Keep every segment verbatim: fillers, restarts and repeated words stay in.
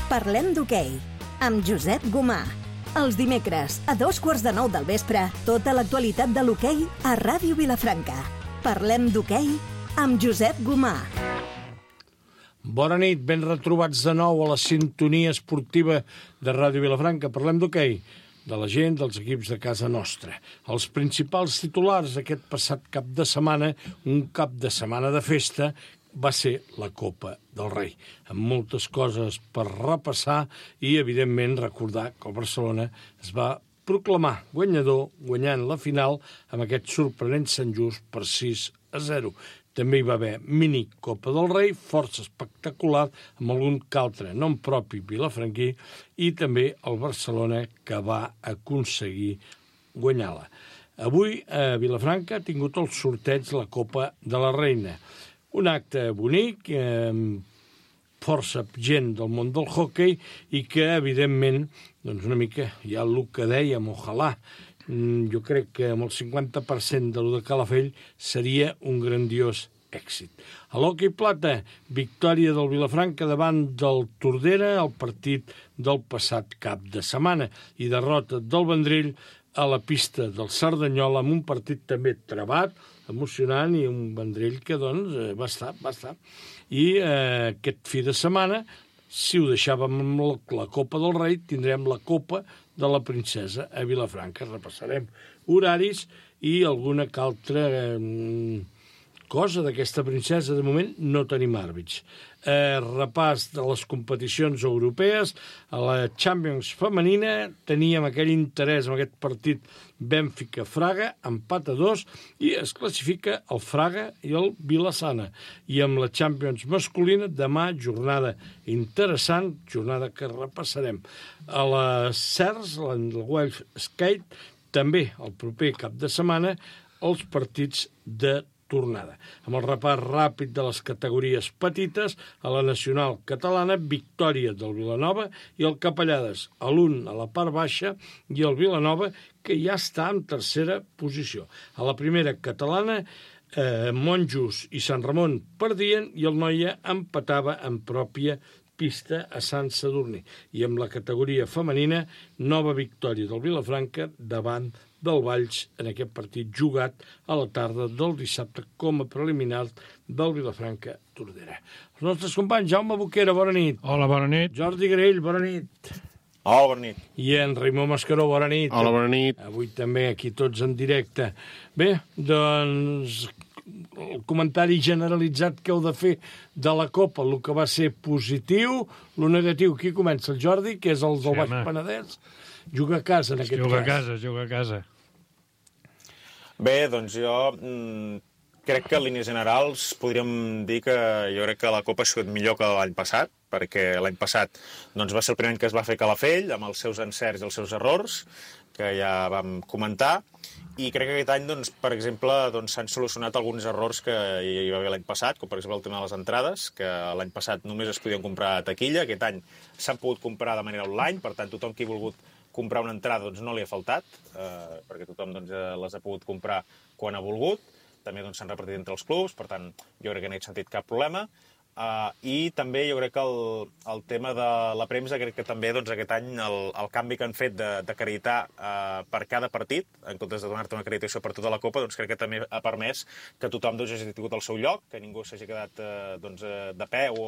Parlem d'hoquei, amb Josep Gomà. Els dimecres, a dos quarts de nou del vespre, tota l'actualitat de l'hoquei a Ràdio Vilafranca. Parlem d'hoquei amb Josep Gomà. Bona nit, ben retrobats de nou a la sintonia esportiva de Ràdio Vilafranca. Parlem d'hoquei, de la gent, dels equips de casa nostra. Els principals titulars aquest passat cap de setmana, un cap de setmana de festa, va ser la Copa del Rei, amb moltes coses per repassar i, evidentment, recordar que el Barcelona es va proclamar guanyador guanyant la final amb aquest sorprenent Sant Just per sis a zero. També hi va haver mini Copa del Rei, força espectacular, amb algun que altre nom propi vilafranquí, i també el Barcelona que va aconseguir guanyar-la. Avui a Vilafranca ha tingut el sorteig la Copa de la Reina. Un acte bonic, amb força gent del món del hoquei i que, evidentment, doncs una mica ja el que dèiem, ojalà, jo crec que amb el cinquanta per cent de lo de Calafell seria un grandiós èxit. A l'hoquei plata, victòria del Vilafranca davant del Tordera al partit del passat cap de setmana i derrota del Vendrell a la pista del Cerdanyola amb un partit també travat, emocionant i un Vendrell que doncs va estar, va estar. I eh, aquest fi de setmana, si ho deixàvem amb la, la Copa del Rei, tindrem la Copa de la Princesa a Vilafranca. Repassarem horaris i alguna que altra eh, cosa d'aquesta princesa. De moment no tenim àrbits. Eh, repàs de les competicions europees. A la Champions femenina teníem aquell interès en aquest partit Benfica-Fraga, empat a dos, i es classifica el Fraga i el Vilassana. I amb la Champions masculina, demà, jornada interessant, jornada que repassarem. A la Cers, la Welsh Skate, també el proper cap de setmana, els partits de tornada. Amb el repàs ràpid de les categories petites, a la nacional catalana, victòria del Vilanova i el Capellades, a l'un a la part baixa i el Vilanova, que ja està en tercera posició. A la primera catalana, eh, Monjos i Sant Ramon perdien i el Noia empatava en pròpia pista a Sant Sadurní. I amb la categoria femenina, nova victòria del Vilafranca davant del Valls en aquest partit jugat a la tarda del dissabte com a preliminar del Vilafranca-Tordera. Els nostres companys, Jaume Boquera, bona nit. Hola, bona nit. Jordi Grell, bona nit. Hola, bona nit. I en Raimó Mascaró, bona nit. Hola, bona nit. Avui també aquí tots en directe. Bé, doncs el comentari generalitzat que heu de fer de la Copa, el que va ser positiu, el negatiu. Qui comença? El Jordi, que és el del sí, Baix Penedès. Juga a casa, en aquest juga cas. Juga a casa, juga a casa. Bé, doncs jo mm, crec que en línies generals podríem dir que jo crec que la Copa ha sigut millor que l'any passat, perquè l'any passat doncs, va ser el primer any que es va fer Calafell, amb els seus encerts i els seus errors, que ja vam comentar, i crec que aquest any, doncs, per exemple, doncs, s'han solucionat alguns errors que hi va haver l'any passat, com per exemple el tema de les entrades, que l'any passat només es podien comprar a taquilla, aquest any s'han pogut comprar de manera online, per tant, tothom qui ha volgut comprar una entrada doncs, no li ha faltat, eh, perquè tothom doncs, les ha pogut comprar quan ha volgut, també doncs, s'han repartit entre els clubs, per tant, jo crec que no he sentit cap problema. Uh, I també jo crec que el, el tema de la premsa, crec que també doncs, aquest any el, el canvi que han fet d'acreditar uh, per cada partit, en comptes de donar-te una acreditació per tota la Copa, doncs crec que també ha permès que tothom doncs, hagi tingut el seu lloc, que ningú s'hagi quedat uh, doncs, uh, de peu o,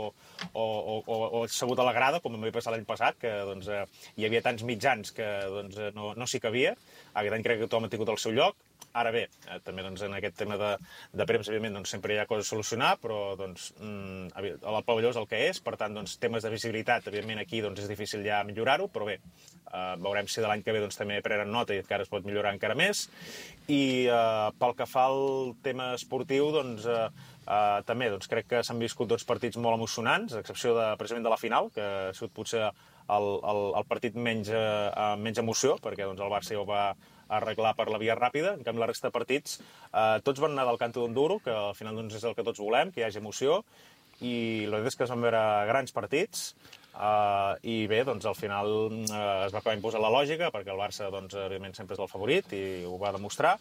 o, o, o assegut a la grada, com em va passar l'any passat, que doncs, uh, hi havia tants mitjans que doncs, no, no s'hi cabia. Aquest any crec que tothom ha tingut el seu lloc. Ara bé, eh, també doncs, en aquest tema de, de premsa, evidentment, doncs, sempre hi ha coses a solucionar, però doncs, mm, el pavelló és el que és, per tant, doncs, temes de visibilitat, evidentment, aquí doncs, és difícil ja millorar-ho, però bé, eh, veurem si de l'any que ve doncs, també prenen nota i encara es pot millorar encara més. I eh, pel que fa al tema esportiu, doncs, eh, eh, també doncs, crec que s'han viscut dos partits molt emocionants, a excepció de, precisament de la final, que ha sigut potser el, el, el partit menys, eh, menys emoció, perquè doncs, el Barça ja ho va arreglar per la via ràpida. En canvi, la resta de partits, eh, tots van anar del canto d'un duro, que al final doncs, és el que tots volem, que hi hagi emoció, i la veritat és que es van veure grans partits, eh, i bé, doncs al final eh, es va acabar imposant la lògica, perquè el Barça, doncs, evidentment, sempre és el favorit, i ho va demostrar,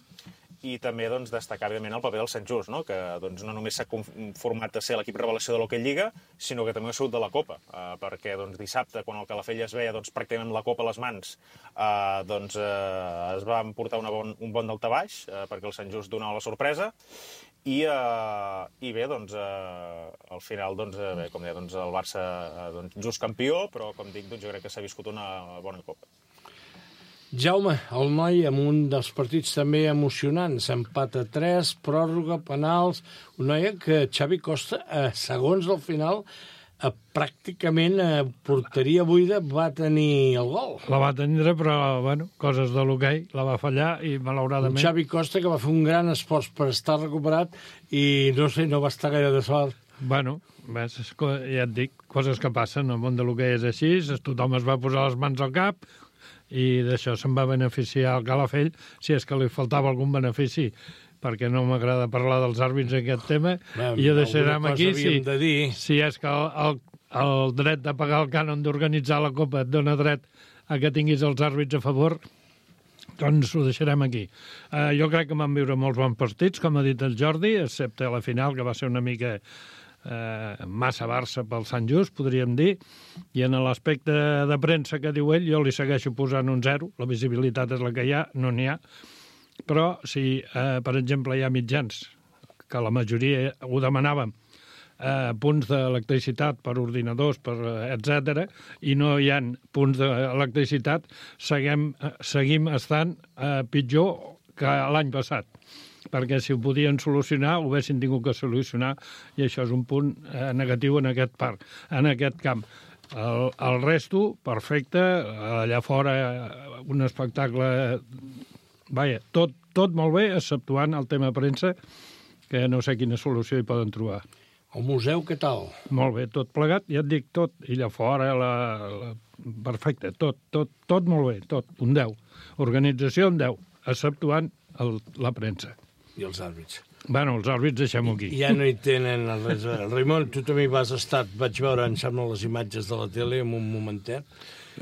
i també doncs, destacar, evidentment, el paper del Sant Just, no? Que doncs, no només s'ha conformat a ser l'equip revelació de l'Hockey Lliga, sinó que també ha sigut de la Copa, eh, perquè doncs, dissabte, quan el Calafell es veia doncs, pràcticament la Copa a les mans, eh, doncs, eh, es va emportar una bon, un bon daltabaix, eh, perquè el Sant Just donava la sorpresa, i, eh, i bé, doncs, eh, al final, doncs, eh, bé, com deia, doncs, el Barça eh, doncs, just campió, però, com dic, doncs, jo crec que s'ha viscut una bona Copa. Jaume, el noi amb un dels partits també emocionants, empat a tres, pròrroga, penals, un noi que Xavi Costa, a segons al final, a pràcticament a porteria buida va tenir el gol. La va tenir, però, bueno, coses de l'hoquei, la va fallar i, malauradament... Un Xavi Costa que va fer un gran esforç per estar recuperat i, no sé, no va estar gaire de sort. Bueno, ves, ja et dic, coses que passen, el món de l'hoquei és així, tothom es va posar les mans al cap, i d'això se'n va beneficiar el Calafell, si és que li faltava algun benefici, perquè no m'agrada parlar dels àrbits en aquest tema, Bé, i ho deixarem aquí. Si, de dir. si és que el, el, el dret de pagar el cànon d'organitzar la Copa et dona dret a que tinguis els àrbits a favor, doncs ho deixarem aquí. Uh, jo crec que van viure molts bons partits, com ha dit el Jordi, excepte la final, que va ser una mica... Eh, massa Barça pel Sant Just, podríem dir, i en l'aspecte de premsa que diu ell, jo li segueixo posant un zero, la visibilitat és la que hi ha, no n'hi ha, però si, eh, per exemple, hi ha mitjans, que la majoria ho demanàvem, eh, punts d'electricitat per ordinadors, per etcètera, i no hi ha punts d'electricitat, seguim, seguim estant eh, pitjor que l'any passat, perquè si ho podien solucionar, ho haguessin tingut que solucionar, i això és un punt eh, negatiu en aquest parc, en aquest camp. El, el resto, perfecte, allà fora un espectacle... Vaja, tot, tot molt bé, exceptuant el tema premsa, que no sé quina solució hi poden trobar. El museu, què tal? Molt bé, tot plegat, ja et dic, tot, i allà fora, la, la... perfecte, tot, tot, tot molt bé, tot, un deu. Organització, un deu, exceptuant el, la premsa. I els àrbits. Bueno, els àrbits deixem-ho aquí. Ja no hi tenen res. Raimon, tu també hi vas estar, vaig veure, em sembla, les imatges de la tele en un momentet.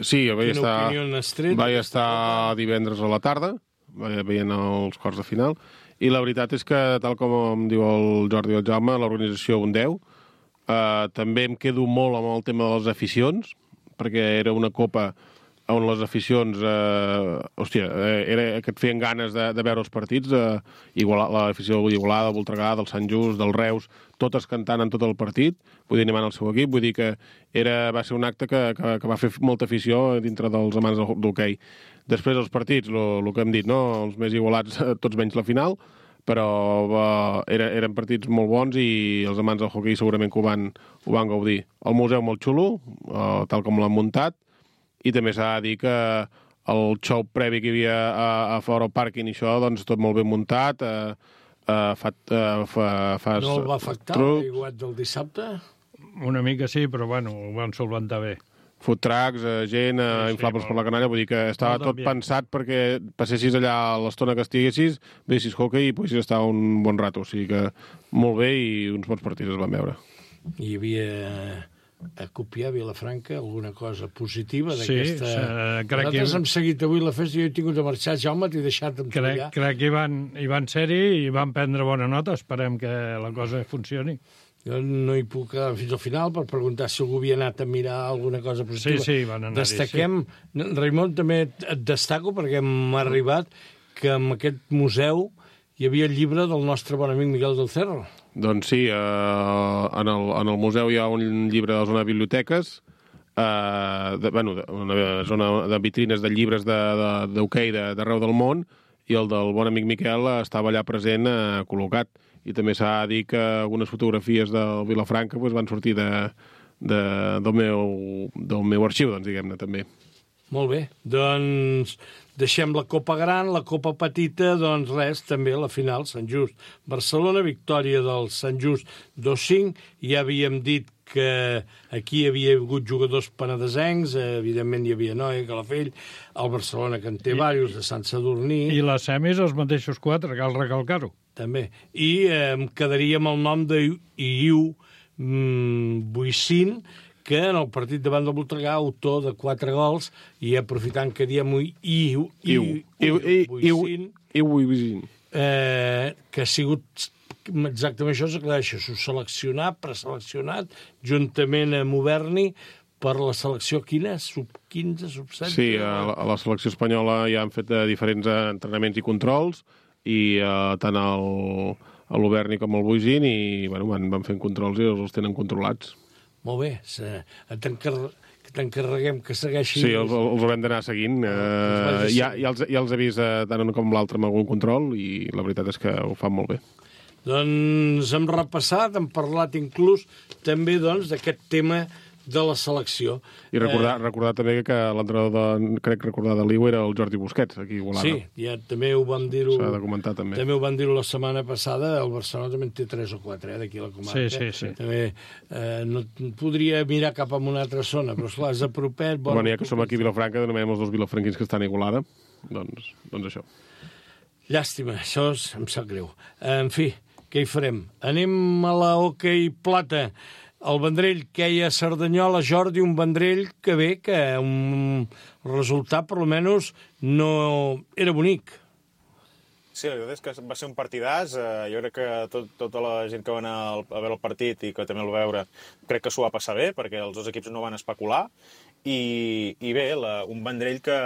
Sí, jo vaig Quina estar, opinió n'has tret? vaig estar divendres a la tarda, veient els quarts de final, i la veritat és que, tal com em diu el Jordi i el Jaume, l'organització un deu. Uh, també em quedo molt amb el tema de les aficions, perquè era una copa on les aficions, eh, hòstia, era que et feien ganes de, de veure els partits, eh, igual, l'afició d'Igualada, del Voltregà, del Sant Just, del Reus, totes cantant en tot el partit, vull dir, animant el seu equip, vull dir que era, va ser un acte que, que, que va fer molta afició dintre dels amants d'hoquei. Després els partits, el que hem dit, no? Els més igualats, tots menys la final, però eh, era, eren partits molt bons i els amants del hoquei segurament que ho van, ho van gaudir. El museu molt xulo, eh, tal com l'han muntat, i també s'ha de dir que el show previ que hi havia a, a fora al pàrquing i això, doncs tot molt ben muntat. Eh, eh, fa, eh, fa, fa, no el va afectar l'aiguat del dissabte? Una mica sí, però bueno, ho van solventar bé. Food trucks, eh, gent, eh, sí, inflables sí, per la canalla, vull dir que estava tot bien pensat perquè passessis allà l'estona que estiguessis, vessis hockey i poguessis estar un bon rato. O sigui que molt bé i uns bons partits es van veure. Hi havia... a copiar a Vilafranca alguna cosa positiva d'aquesta... Sí, uh, crec Nosaltres que... hem seguit avui la festa i jo he tingut de marxar. Jaume, t'he deixat amb crec, crec que hi van, hi van ser-hi i van prendre bona nota. Esperem que la cosa funcioni. Jo no hi puc quedar fins al final per preguntar si algú havia anat a mirar alguna cosa positiva. Sí, sí, van anar-hi. Destaquem... Sí. Raimon, també et destaco perquè m'ha arribat que en aquest museu hi havia el llibre del nostre bon amic Miguel del Cerro. Doncs sí, eh, en, el, en el museu hi ha un llibre de la zona de biblioteques, eh, de, bueno, de, una zona de vitrines de llibres d'hoquei de, de, d'arreu del món, i el del bon amic Miquel estava allà present, eh, col·locat. I també s'ha de dir que algunes fotografies del Vilafranca pues, van sortir de, de, del, meu, del meu arxiu, doncs, diguem-ne, també. Molt bé, doncs deixem la Copa Gran, la Copa Petita, doncs res, també la final, Sant Just. Barcelona, victòria del Sant Just dos cinc, ja havíem dit que aquí hi havia hagut jugadors penedesencs, evidentment hi havia Noia, Calafell, el Barcelona que en té diversos, de Sant Sadurní... I les semis els mateixos quatre, cal recalcar-ho. També, i eh, em quedaria amb el nom d'Iu mm, Buicín, que en el partit davant del Voltregà, autor de quatre gols, i aprofitant que diem Iu, Iu, Iu, Iu, Iu, Iu, Iu, eh, que ha sigut exactament això, s'aclareix, seleccionat, preseleccionat, juntament amb Uberni, per la selecció quina? sub quinze, sub setze? Sí, a la, a la selecció espanyola ja han fet eh, diferents entrenaments i controls, i eh, tant el, l'Uberni com el Boisín, i bueno, van, van fent controls i els tenen controlats. Molt bé, que t'encarreguem que segueixi... Sí, els, els haurem d'anar seguint. Eh, ja, ja, els, ja els he vist eh, tant un com l'altre amb algun control, i la veritat és que ho fan molt bé. Doncs hem repassat, hem parlat inclús també doncs d'aquest tema de la selecció. I recordar, eh... recordar també que l'entrenador, de, crec recordar de l'I U era el Jordi Busquets, aquí a Igualada. Sí, ja també ho vam dir-ho... S'ha de comentar, també. També ho vam dir-ho la setmana passada, el Barcelona també en té tres o quatre, eh, d'aquí a la comarca. Sí, sí, sí. També eh, no podria mirar cap a una altra zona, però esclar, és a propet... Bueno, bueno, ja que som aquí a Vilafranca, denomenem els dos vilafranquins que estan a Igualada, doncs, doncs això. Llàstima, això és, em sap greu. En fi, què hi farem? Anem a la hoquei plata. El Vendrell queia a Cerdanyola, Jordi, un Vendrell que bé, que un resultat, per almenys, no era bonic. Sí, la veritat és que va ser un partidàs. Eh, jo crec que tot, tota la gent que va anar a veure el partit i que també el va veure, crec que s'ho va passar bé, perquè els dos equips no van especular. I, i bé, la, un Vendrell que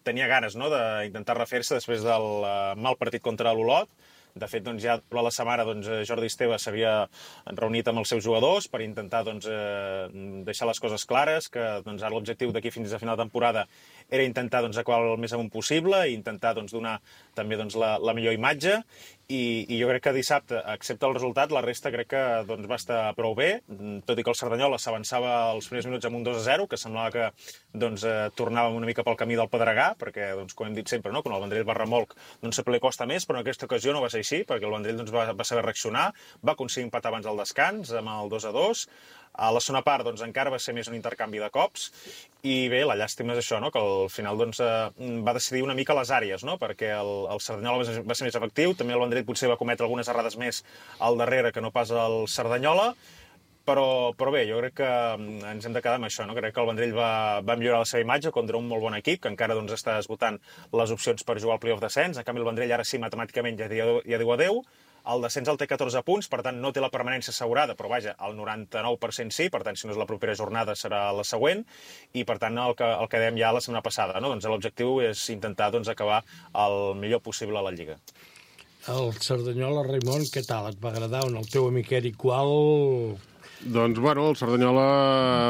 tenia ganes, no?, d'intentar refer-se després del uh, mal partit contra l'Olot. De fet, doncs, ja durant la setmana doncs, Jordi Esteve s'havia reunit amb els seus jugadors per intentar doncs, eh, deixar les coses clares, que doncs, ara l'objectiu d'aquí fins a final de temporada era intentar doncs, acabar el més amunt possible i intentar doncs, donar també doncs, la, la millor imatge. I, I jo crec que dissabte, excepte el resultat, la resta crec que doncs, va estar prou bé, tot i que el Cerdanyola s'avançava els primers minuts amb un dos a zero, que semblava que doncs, eh, tornàvem una mica pel camí del Pedregà, perquè, doncs, com hem dit sempre, no? Quan el Vendrell va remolc doncs, sempre li costa més, però en aquesta ocasió no va ser així, perquè el Vendrell doncs, va, va saber reaccionar, va aconseguir empatar abans del descans, amb el dos a dos. A la segona part doncs, encara va ser més un intercanvi de cops, i bé, la llàstima és això, no? Que al final doncs, eh, va decidir una mica les àrees, no? Perquè el, el Cerdanyola va ser, va ser més efectiu, també el Vendrell potser va cometre algunes errades més al darrere que no pas el Cerdanyola, però, però bé, jo crec que ens hem de quedar amb això, no? Crec que el Vendrell va, va millorar la seva imatge contra un molt bon equip, que encara doncs, està esgotant les opcions per jugar al playoff descens. En canvi, el Vendrell ara sí, matemàticament, ja, ja diu adeu. El descens el té catorze punts, per tant no té la permanència assegurada, però vaja, el noranta-nou per cent sí, per tant si no és la propera jornada serà la següent, i per tant el que, el que dèiem ja la setmana passada, no? Doncs l'objectiu és intentar doncs, acabar el millor possible a la Lliga. El Cerdanyola, Raimon, què tal? Et va agradar? El teu amic Eric Qual... Doncs, bueno, el Cerdanyola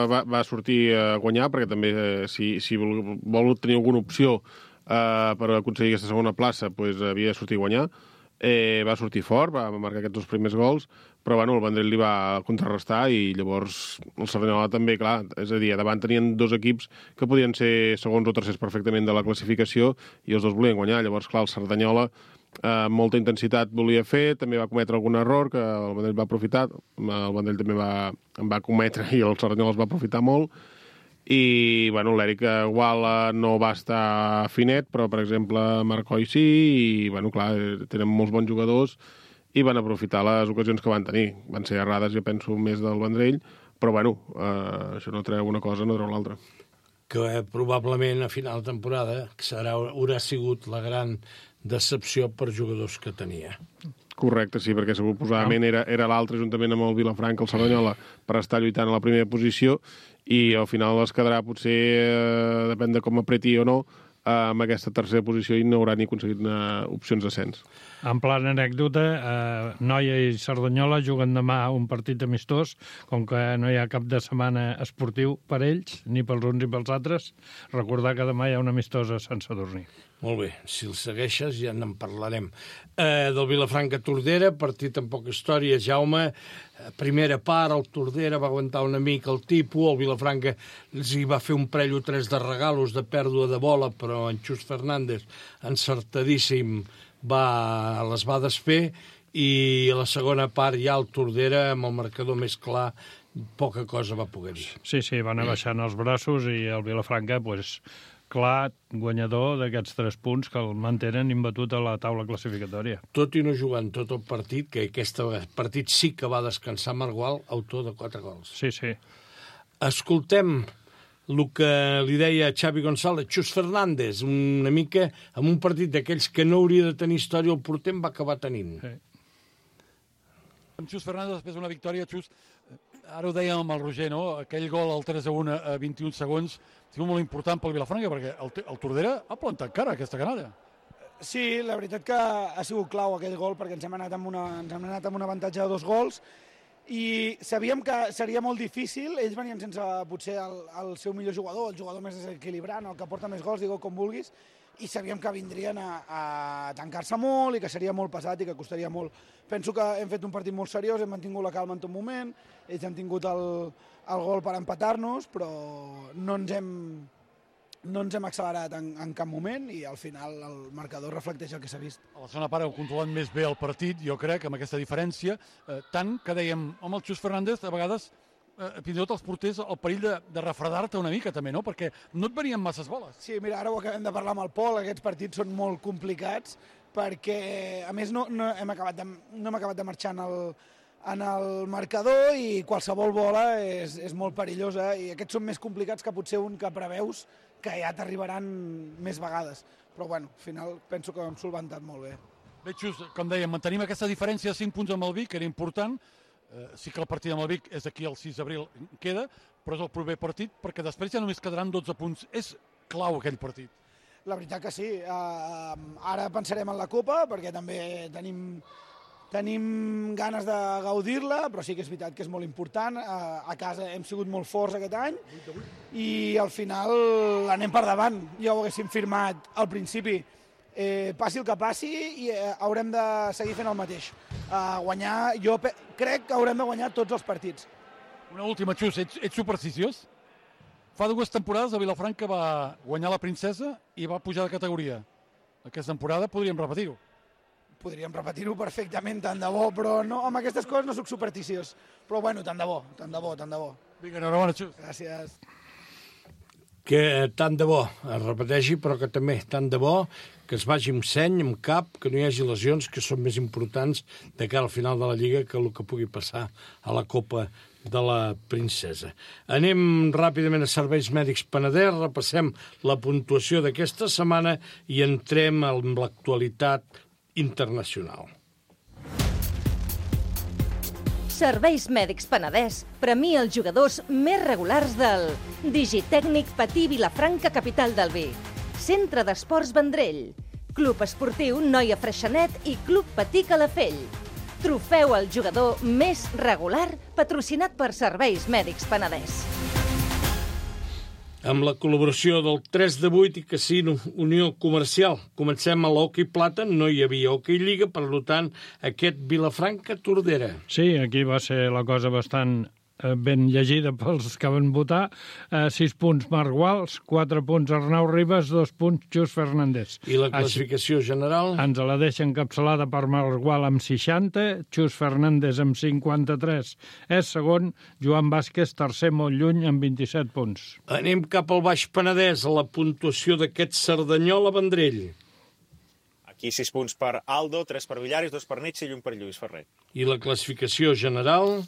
va, va sortir a guanyar, perquè també, eh, si, si vol, vol tenir alguna opció eh, per aconseguir aquesta segona plaça, pues, havia de sortir a guanyar. Eh, va sortir fort, va marcar aquests dos primers gols, però bueno, el Vendrell li va contrarrestar i llavors el Cerdanyola també, clar, és a dir, davant tenien dos equips que podien ser segons o tercers perfectament de la classificació i els dos volien guanyar. Llavors, clar, el Cerdanyola amb eh, molta intensitat volia fer, també va cometre algun error que el Vendrell va aprofitar, el Vendrell també va, en va cometre i el Cerdanyola es va aprofitar molt. I, bueno, l'Eric Guala no va estar finet, però, per exemple, Marcoi sí, i, bueno, clar, tenen molts bons jugadors i van aprofitar les ocasions que van tenir. Van ser errades, jo penso, més del Vendrell, però, bueno, eh, això no treu una cosa, no treu l'altra. Que eh, probablement a final de temporada serà, haurà sigut la gran decepció per jugadors que tenia. Correcte, sí, perquè suposadament era, era l'altre, juntament amb el Vilafranca, el Cerdanyola, per estar lluitant a la primera posició, i al final es quedarà, potser, eh, depèn de com apreti o no, eh, amb aquesta tercera posició i no haurà ni aconseguit eh, opcions d'ascens. En plan anècdota, eh, Noia i Cerdanyola juguen demà un partit amistós, com que no hi ha cap de setmana esportiu per ells, ni pels uns ni pels altres, recordar que demà hi ha una amistosa a Sant Sadurní. Molt bé, si el segueixes ja en parlarem. Eh, del Vilafranca Tordera, partit amb poca història, Jaume, primera part, el Tordera va aguantar una mica el tipus, el Vilafranca els hi va fer un parell o tres de regalos de pèrdua de bola, però en Xus Fernández, encertadíssim, va, les va desfer, i a la segona part ja el Tordera, amb el marcador més clar, poca cosa va poder dir. Sí, sí, van abaixant els braços i el Vilafranca, pues, clar, guanyador d'aquests tres punts que el mantenen imbatut a la taula classificatòria. Tot i no jugant tot el partit, que aquest partit sí que va descansar Margual, autor de quatre gols. Sí, sí. Escoltem el que li deia Xavi González, Xus Fernández, una mica amb un partit d'aquells que no hauria de tenir història, el porter va acabar tenint. Sí. Amb Xus Fernández, després d'una victòria, Xus, ara ho dèiem amb el Roger, no? Aquell gol al tres a un a vint-i-un segons, ha sigut molt important pel Vilafranca, perquè el, el Tordera ha plantat cara aquesta canalla. Sí, la veritat que ha sigut clau aquell gol, perquè ens hem anat amb, una, ens hem anat amb un avantatge de dos gols, i sabíem que seria molt difícil. Ells venien sense potser el, el seu millor jugador, el jugador més desequilibrant, el que porta més gols, digue com vulguis, i sabíem que vindrien a, a tancar-se molt i que seria molt pesat i que costaria molt. Penso que hem fet un partit molt seriós, hem mantingut la calma en tot moment, ells han tingut el, el gol per empatar-nos, però no ens hem, no ens hem accelerat en, en cap moment i al final el marcador reflecteix el que s'ha vist. A la segona part heu controlat més bé el partit, jo crec, amb aquesta diferència, eh, tant que dèiem, home, el Xus Fernández, a vegades, eh, fins i tot els porters, el perill de, de refredar-te una mica també, no? Perquè no et venien masses boles. Sí, mira, ara ho acabem de parlar amb el Pol, aquests partits són molt complicats, perquè, a més, no, no, hem, acabat de, no hem acabat de marxar en el, en el marcador i qualsevol bola és, és molt perillosa i aquests són més complicats que potser un que preveus que ja t'arribaran més vegades. Però, bueno, al final penso que ho hem solventat molt bé. Bé, Xus, com dèiem, mantenim aquesta diferència de cinc punts amb el Vic, que era important. Eh, sí que el partit amb el Vic és aquí el sis d'abril, queda, però és el proper partit, perquè després ja només quedaran dotze punts. És clau aquell partit. La veritat que sí. Uh, ara pensarem en la Copa, perquè també tenim, tenim ganes de gaudir-la, però sí que és veritat que és molt important. Uh, a casa hem sigut molt forts aquest any i al final anem per davant. Ja ho haguéssim firmat al principi. Eh, passi el que passi i eh, haurem de seguir fent el mateix. Uh, guanyar, jo crec que haurem de guanyar tots els partits. Una última, Xus, ets, ets supersticiós? Fa dues temporades el Vilafranca va guanyar la Princesa i va pujar de categoria. Aquesta temporada podríem repetir-ho. Podríem repetir-ho perfectament, tant de bo, però no, amb aquestes coses no soc supersticiós. Però bueno, tant de bo, tant de bo, tant de bo. Vinga, enhorabona, Xus. Gràcies. Que tant de bo es repeteixi, però que també tant de bo que es vagi amb seny, amb cap, que no hi hagi lesions, que són més importants de cara al final de la Lliga que el que pugui passar a la Copa de la Princesa. Anem ràpidament a Serveis Mèdics Penedès, repassem la puntuació d'aquesta setmana i entrem en l'actualitat internacional. Serveis Mèdics Penedès premia els jugadors més regulars del Digitècnic Patí Vilafranca, capital del Vi, Centre d'Esports Vendrell, Club Esportiu Noia Freixenet i Club Patí Calafell. Trofeu al jugador més regular patrocinat per Serveis Mèdics Penedès. Amb la col·laboració del tres de vuit i Casino Unió Comercial. Comencem a l'Hockey Plata, no hi havia Hockey Lliga, per tant, aquest Vilafranca-Tordera. Sí, aquí va ser la cosa bastant eh, ben llegida pels que van votar. Eh, sis punts Marc Guals, quatre punts Arnau Ribas, dos punts Xus Fernández. I la classificació Així, general? Ens la deixa encapçalada per Marc Gual amb seixanta, Xus Fernández amb cinquanta-tres. És segon, Joan Vázquez, tercer molt lluny, amb vint-i-set punts. Anem cap al Baix Penedès, a la puntuació d'aquest Cerdanyola Vendrell. Aquí sis punts per Aldo, tres per Villaris, dos per Nietzsche i un per Lluís Ferrer. I la classificació general?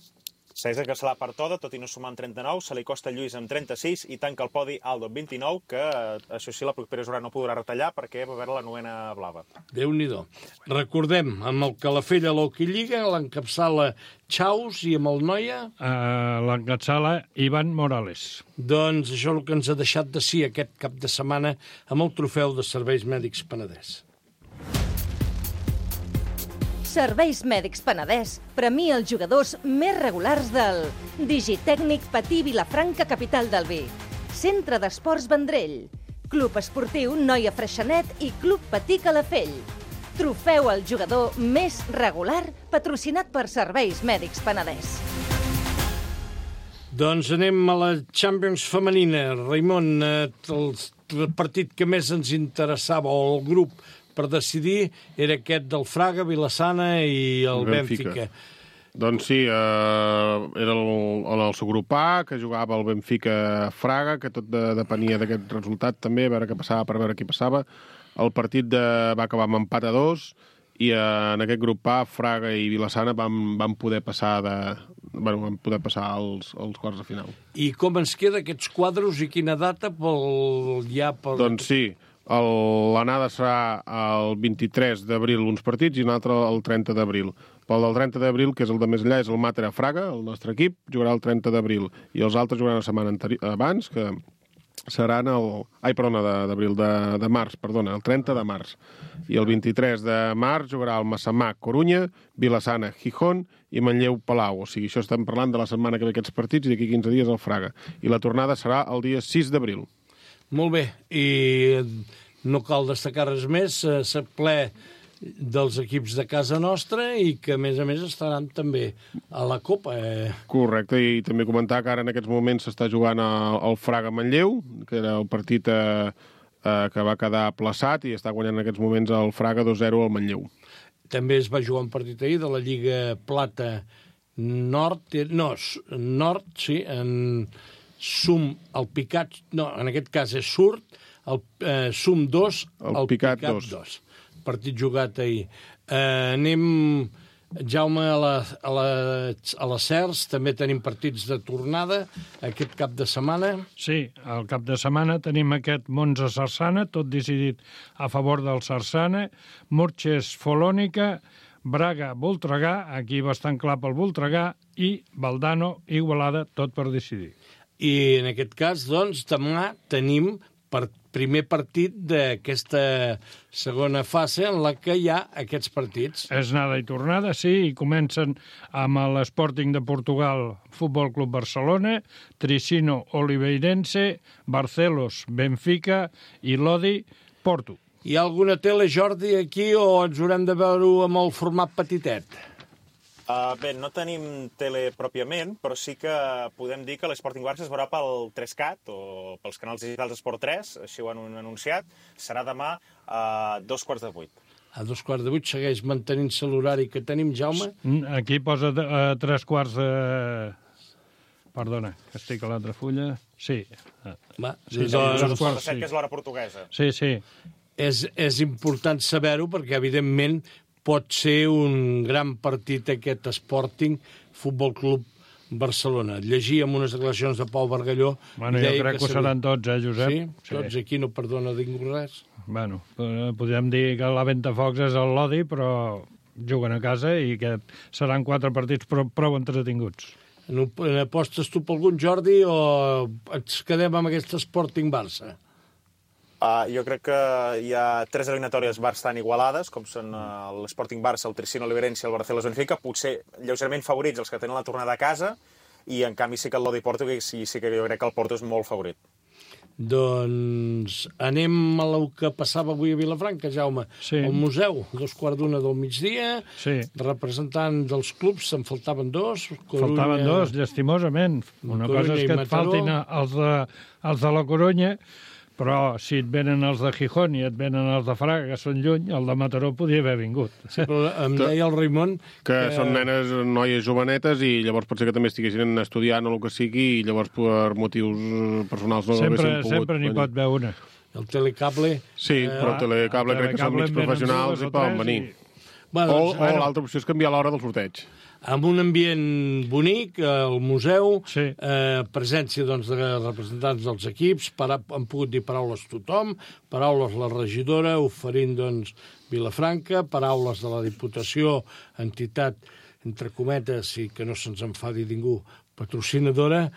Segueix de Caçalà per Toda, tot i no sumar amb trenta-nou, se li costa Lluís amb trenta-sis i tanca el podi Aldo amb vint-i-nou, que això sí, la propera jornada no podrà retallar perquè va haver la novena blava. Déu-n'hi-do. Recordem, amb el Calafell a l'Hockey Lliga, l'encapçala Chaus i amb el Noia? Uh, l'encapçala Ivan Morales. Doncs això és el que ens ha deixat de sí aquest cap de setmana amb el trofeu de Serveis Mèdics Penedès. Serveis Mèdics Penedès premia els jugadors més regulars del Digitècnic Patí Vilafranca, capital del Vi, Centre d'Esports Vendrell, Club Esportiu Noia Freixenet i Club Patí Calafell. Trofeu al jugador més regular patrocinat per Serveis Mèdics Penedès. Doncs anem a la Champions femenina. Raimon, el partit que més ens interessava, o el grup per decidir, era aquest del Fraga, Vilassana i el, el Benfica. Benfica. Doncs sí, eh, era el, el seu grup A, que jugava el Benfica-Fraga, que tot de, depenia d'aquest resultat també, a veure què passava, per veure qui passava. El partit de, va acabar amb empat a dos, i eh, en aquest grup A, Fraga i Vilassana van, van poder passar de, bueno, vam poder passar als, als quarts de final. I com ens queda aquests quadros i quina data pel... ja pel... Doncs sí, l'anada serà el vint-i-tres d'abril uns partits i un altre el trenta d'abril. Pel del trenta d'abril, que és el de més enllà, és el Màter a Fraga, el nostre equip, jugarà el trenta d'abril. I els altres jugaran la setmana abans, que seran el... Ai, perdona, d'abril, de, de març, perdona, el trenta de març. I el vint-i-tres de març jugarà el Massamà, Corunya, Vilassana, Gijón i Manlleu, Palau. O sigui, això estem parlant de la setmana que ve aquests partits i d'aquí quinze dies el Fraga. I la tornada serà el dia sis d'abril. Molt bé, i no cal destacar res més, s'ha ple dels equips de casa nostra i que, a més a més, estaran també a la Copa. Eh? Correcte, i també comentar que ara en aquests moments s'està jugant el Fraga-Manlleu, que era el partit eh, eh, que va quedar aplaçat i està guanyant en aquests moments el Fraga dos zero al Manlleu. També es va jugar un partit ahir de la Lliga Plata Nord, no, Nord, sí, en Sum, el Picat, no, en aquest cas és Surt, el eh, Sum dos, el, el Picat, Picat dos. Partit jugat ahir. Eh, anem, Jaume, a la, a, la, a la Cers, també tenim partits de tornada aquest cap de setmana. Sí, el cap de setmana tenim aquest Monza-Sarsana, tot decidit a favor del Sarsana, Murches-Folònica, Braga-Voltregà, aquí bastant clar pel Voltregà, i Valdano-Igualada, tot per decidir. I en aquest cas, doncs, demà tenim per primer partit d'aquesta segona fase en la que hi ha aquests partits. És anada i tornada, sí, i comencen amb l'Sporting de Portugal, Futbol Club Barcelona, Tricino Oliveirense, Barcelos Benfica i Lodi Porto. Hi ha alguna tele, Jordi, aquí, o ens haurem de veure-ho amb el format petitet? Uh, bé, no tenim tele pròpiament, però sí que podem dir que l'Sporting Barça es veurà pel tres cat o pels canals digitals Esport tres, així ho han anunciat. Serà demà a dos quarts de vuit. A dos quarts de vuit segueix mantenint-se l'horari que tenim, Jaume? Aquí posa a tres quarts de... Perdona, que estic a l'altra fulla. Sí. Va, sí, sí, dos quarts de set, que és l'hora portuguesa. Sí, sí. És, és important saber-ho perquè, evidentment, pot ser un gran partit aquest Sporting Futbol Club Barcelona. Llegia amb unes declaracions de Pau Bargalló... Bueno, jo crec que, que seran tots, eh, Josep? Sí? Tots, sí. Aquí no perdona ningú res. Bueno, podríem dir que la Ventafocs és el Lodi, però juguen a casa i que seran quatre partits prou, prou entretinguts. Apostes tu per algun, Jordi, o ens quedem amb aquest Sporting Barça? Uh, jo crec que hi ha tres eliminatòries bastant igualades, com són uh, l'Sporting Barça, el Tricino Oliveirense i el Barcelos Benfica, potser lleugerament favorits els que tenen la tornada a casa, i en canvi sí que el Lodi Porto, sí, sí que jo crec que el Porto és molt favorit. Doncs anem a el que passava avui a Vilafranca, Jaume. Sí. El museu, dos quarts d'una del migdia, sí. Representant dels clubs, se'n faltaven dos. Corunya... Faltaven dos, llastimosament. Una Corunya cosa és que et faltin els de, els de la Corunya, però si et venen els de Gijón i et venen els de Fraga, que són lluny, el de Mataró podia haver vingut. Sí, però em deia el Raimon... Que, que són nenes, noies jovenetes, i llavors pot ser que també estiguessin estudiant o el que sigui, i llavors per motius personals no sempre, haguessin pogut... Sempre n'hi pot haver una. El telecable... Sí, eh, però el telecable crec que són mig professionals i poden venir. I... Bueno, o o l'altra opció és canviar l'hora del sorteig. Amb un ambient bonic, al museu, sí. eh, presència doncs, de representants dels equips, para, han pogut dir paraules tothom, paraules la regidora, oferint doncs, Vilafranca, paraules de la Diputació, entitat, entre cometes, i que no se'ns enfadi ningú, patrocinadora,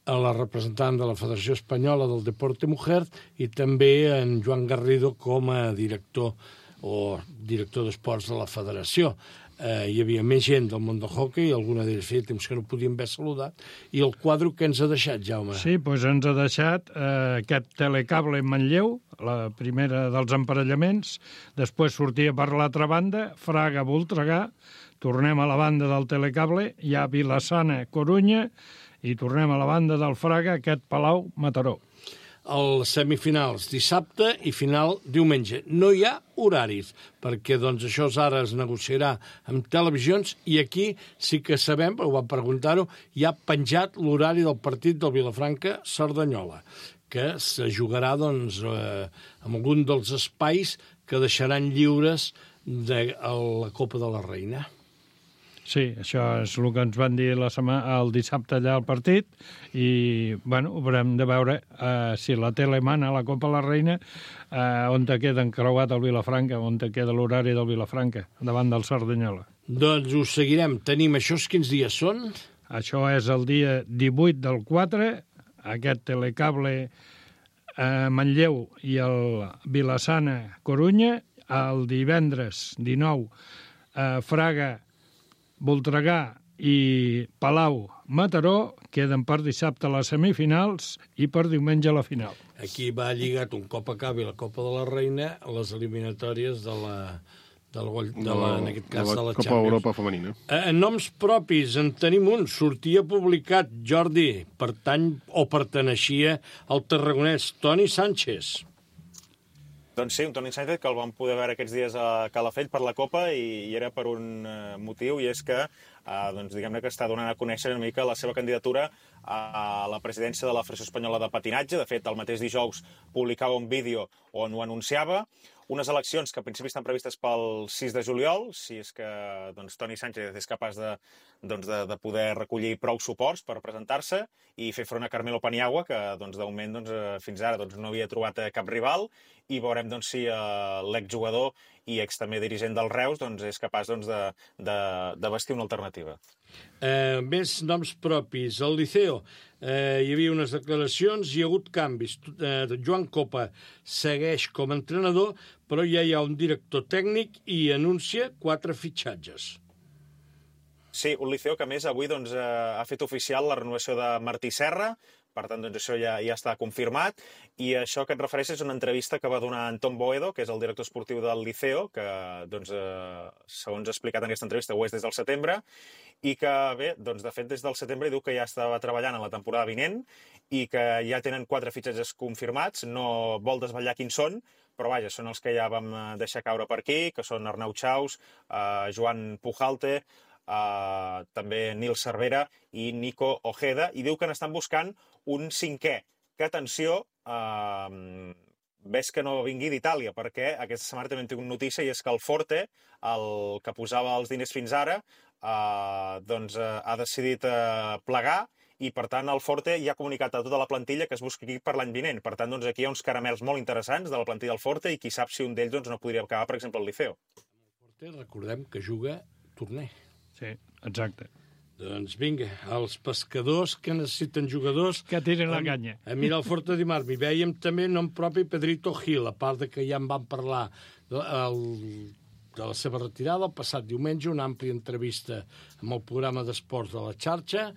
a la representant de la Federació Espanyola del Deporte Mujer, i també en Joan Garrido com a director o director d'esports de la Federació. Eh, hi havia més gent del món del hoquei, alguna d'ells feia temps que no podíem haver saludat, i el quadre que ens ha deixat, Jaume? Sí, doncs ens ha deixat eh, aquest telecable en Manlleu, la primera dels emparellaments, després sortia per l'altra banda, Fraga-Voltregà, tornem a la banda del telecable, hi ha Vilassana-Corunya, i tornem a la banda del Fraga, aquest Palau-Mataró. Els semifinals dissabte i final diumenge. No hi ha horaris, perquè doncs, això ara es negociarà amb televisions, i aquí sí que sabem, ho vam preguntar-ho, hi ha penjat l'horari del partit del Vilafranca-Cerdanyola, que se jugarà doncs, eh, en algun dels espais que deixaran lliures de la Copa de la Reina. Sí, això és el que ens van dir la setmana, el dissabte allà al partit i, bueno, haurem de veure uh, si la tele mana la Copa la Reina, uh, on te queda encreuat el Vilafranca, on te queda l'horari del Vilafranca, davant del Cerdanyola. Doncs ho seguirem. Tenim això, quins dies són? Això és el dia divuit del quatre, aquest telecable eh, Manlleu i el Vilassana Corunya, el divendres dinou eh, Fraga, Voltregà i Palau Mataró, queden per dissabte les semifinals i per diumenge la final. Aquí va lligat, un cop acabi la Copa de la Reina, les eliminatòries de la, de la, de la, en aquest cas, de la, de la Copa Champions. Europa femenina. Eh, noms propis, en tenim un. Sortia publicat, Jordi, pertany o perteneixia al tarragonès Toni Sánchez. Doncs sí, un Toni Sánchez que el vam poder veure aquests dies a Calafell per la Copa i, i era per un uh, motiu, i és que uh, doncs, diguem-ne que està donant a conèixer una mica la seva candidatura a la presidència de la Federació Espanyola de Patinatge. De fet, el mateix dijous publicava un vídeo on ho anunciava. Unes eleccions que en principi estan previstes pel sis de juliol, si és que doncs, Toni Sánchez és capaç de, doncs, de, de poder recollir prou suports per presentar-se i fer front a Carmelo Paniagua, que doncs, de moment doncs, fins ara doncs, no havia trobat cap rival, i veurem doncs, si uh, l'exjugador i ex també dirigent del Reus doncs, és capaç doncs, de, de, de vestir una alternativa. Eh, més noms propis. Al Liceo eh, hi havia unes declaracions, hi ha hagut canvis. Eh, Joan Copa segueix com a entrenador, però ja hi ha un director tècnic i anuncia quatre fitxatges. Sí, un Liceo que a més avui doncs, eh, ha fet oficial la renovació de Martí Serra. Per tant, doncs, això ja, ja està confirmat, i això que et refereixes és una entrevista que va donar Antón Boedo, que és el director esportiu del Liceo, que, doncs, eh, segons ha explicat en aquesta entrevista, ho és des del setembre, i que, bé, doncs, de fet, des del setembre diu que ja estava treballant en la temporada vinent i que ja tenen quatre fitxatges confirmats, no vol desvetllar quins són, però vaja, són els que ja vam deixar caure per aquí, que són Arnau Chaus, eh, Joan Pujalte, Uh, també Nil Cervera i Nico Ojeda, i diu que n'estan buscant un cinquè, que, atenció, uh, ves que no vingui d'Itàlia, perquè aquesta setmana també hem tingut notícia, i és que el Forte, el que posava els diners fins ara, uh, doncs uh, ha decidit uh, plegar, i per tant el Forte ja ha comunicat a tota la plantilla que es busqui aquí per l'any vinent. Per tant, doncs, aquí hi ha uns caramels molt interessants de la plantilla del Forte, i qui sap si un d'ells doncs, no podria acabar, per exemple, al Liceo. El Forte, recordem que juga torner. Sí, exacte. Doncs vinga, els pescadors que necessiten jugadors... Que tiren la canya. A mirar el Forte dimarts. I veiem també nom propi Pedrito Gil, a part de que ja en vam parlar de, el, de la seva retirada el passat diumenge, una àmplia entrevista amb el programa d'esports de la xarxa,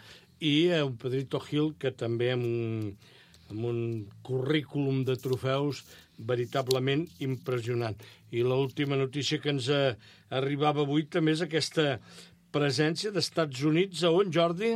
i un Pedrito Gil que també amb un, amb un currículum de trofeus veritablement impressionant. I l'última notícia que ens arribava avui també és aquesta presència d'Estats Units. A on, Jordi?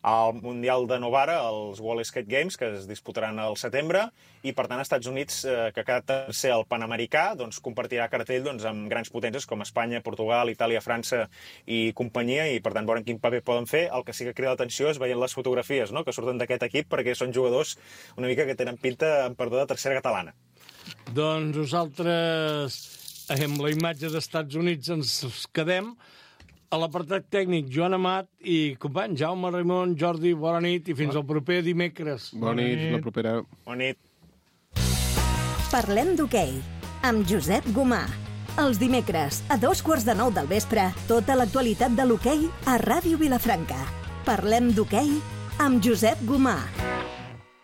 Al Mundial de Novara, els World Skate Games, que es disputaran al setembre, i per tant Estats Units, eh, que cada tercer el Panamericà, doncs, compartirà cartell doncs, amb grans potències com Espanya, Portugal, Itàlia, França i companyia, i per tant veurem quin paper poden fer. El que sí que crida l'atenció és veient les fotografies, no?, que surten d'aquest equip, perquè són jugadors una mica que tenen pinta, en perdó, de tercera catalana. Doncs nosaltres, amb la imatge d'Estats Units, ens quedem. A l'apartat tècnic, Joan Amat i company Jaume Raimon, Jordi, bona nit i fins al proper dimecres. Bona nit, la propera. Bona nit. Parlem d'hoquei, amb Josep Gomà. Els dimecres, a dos quarts de nou del vespre, tota l'actualitat de l'hoquei a Ràdio Vilafranca. Parlem d'hoquei amb Josep Gomà.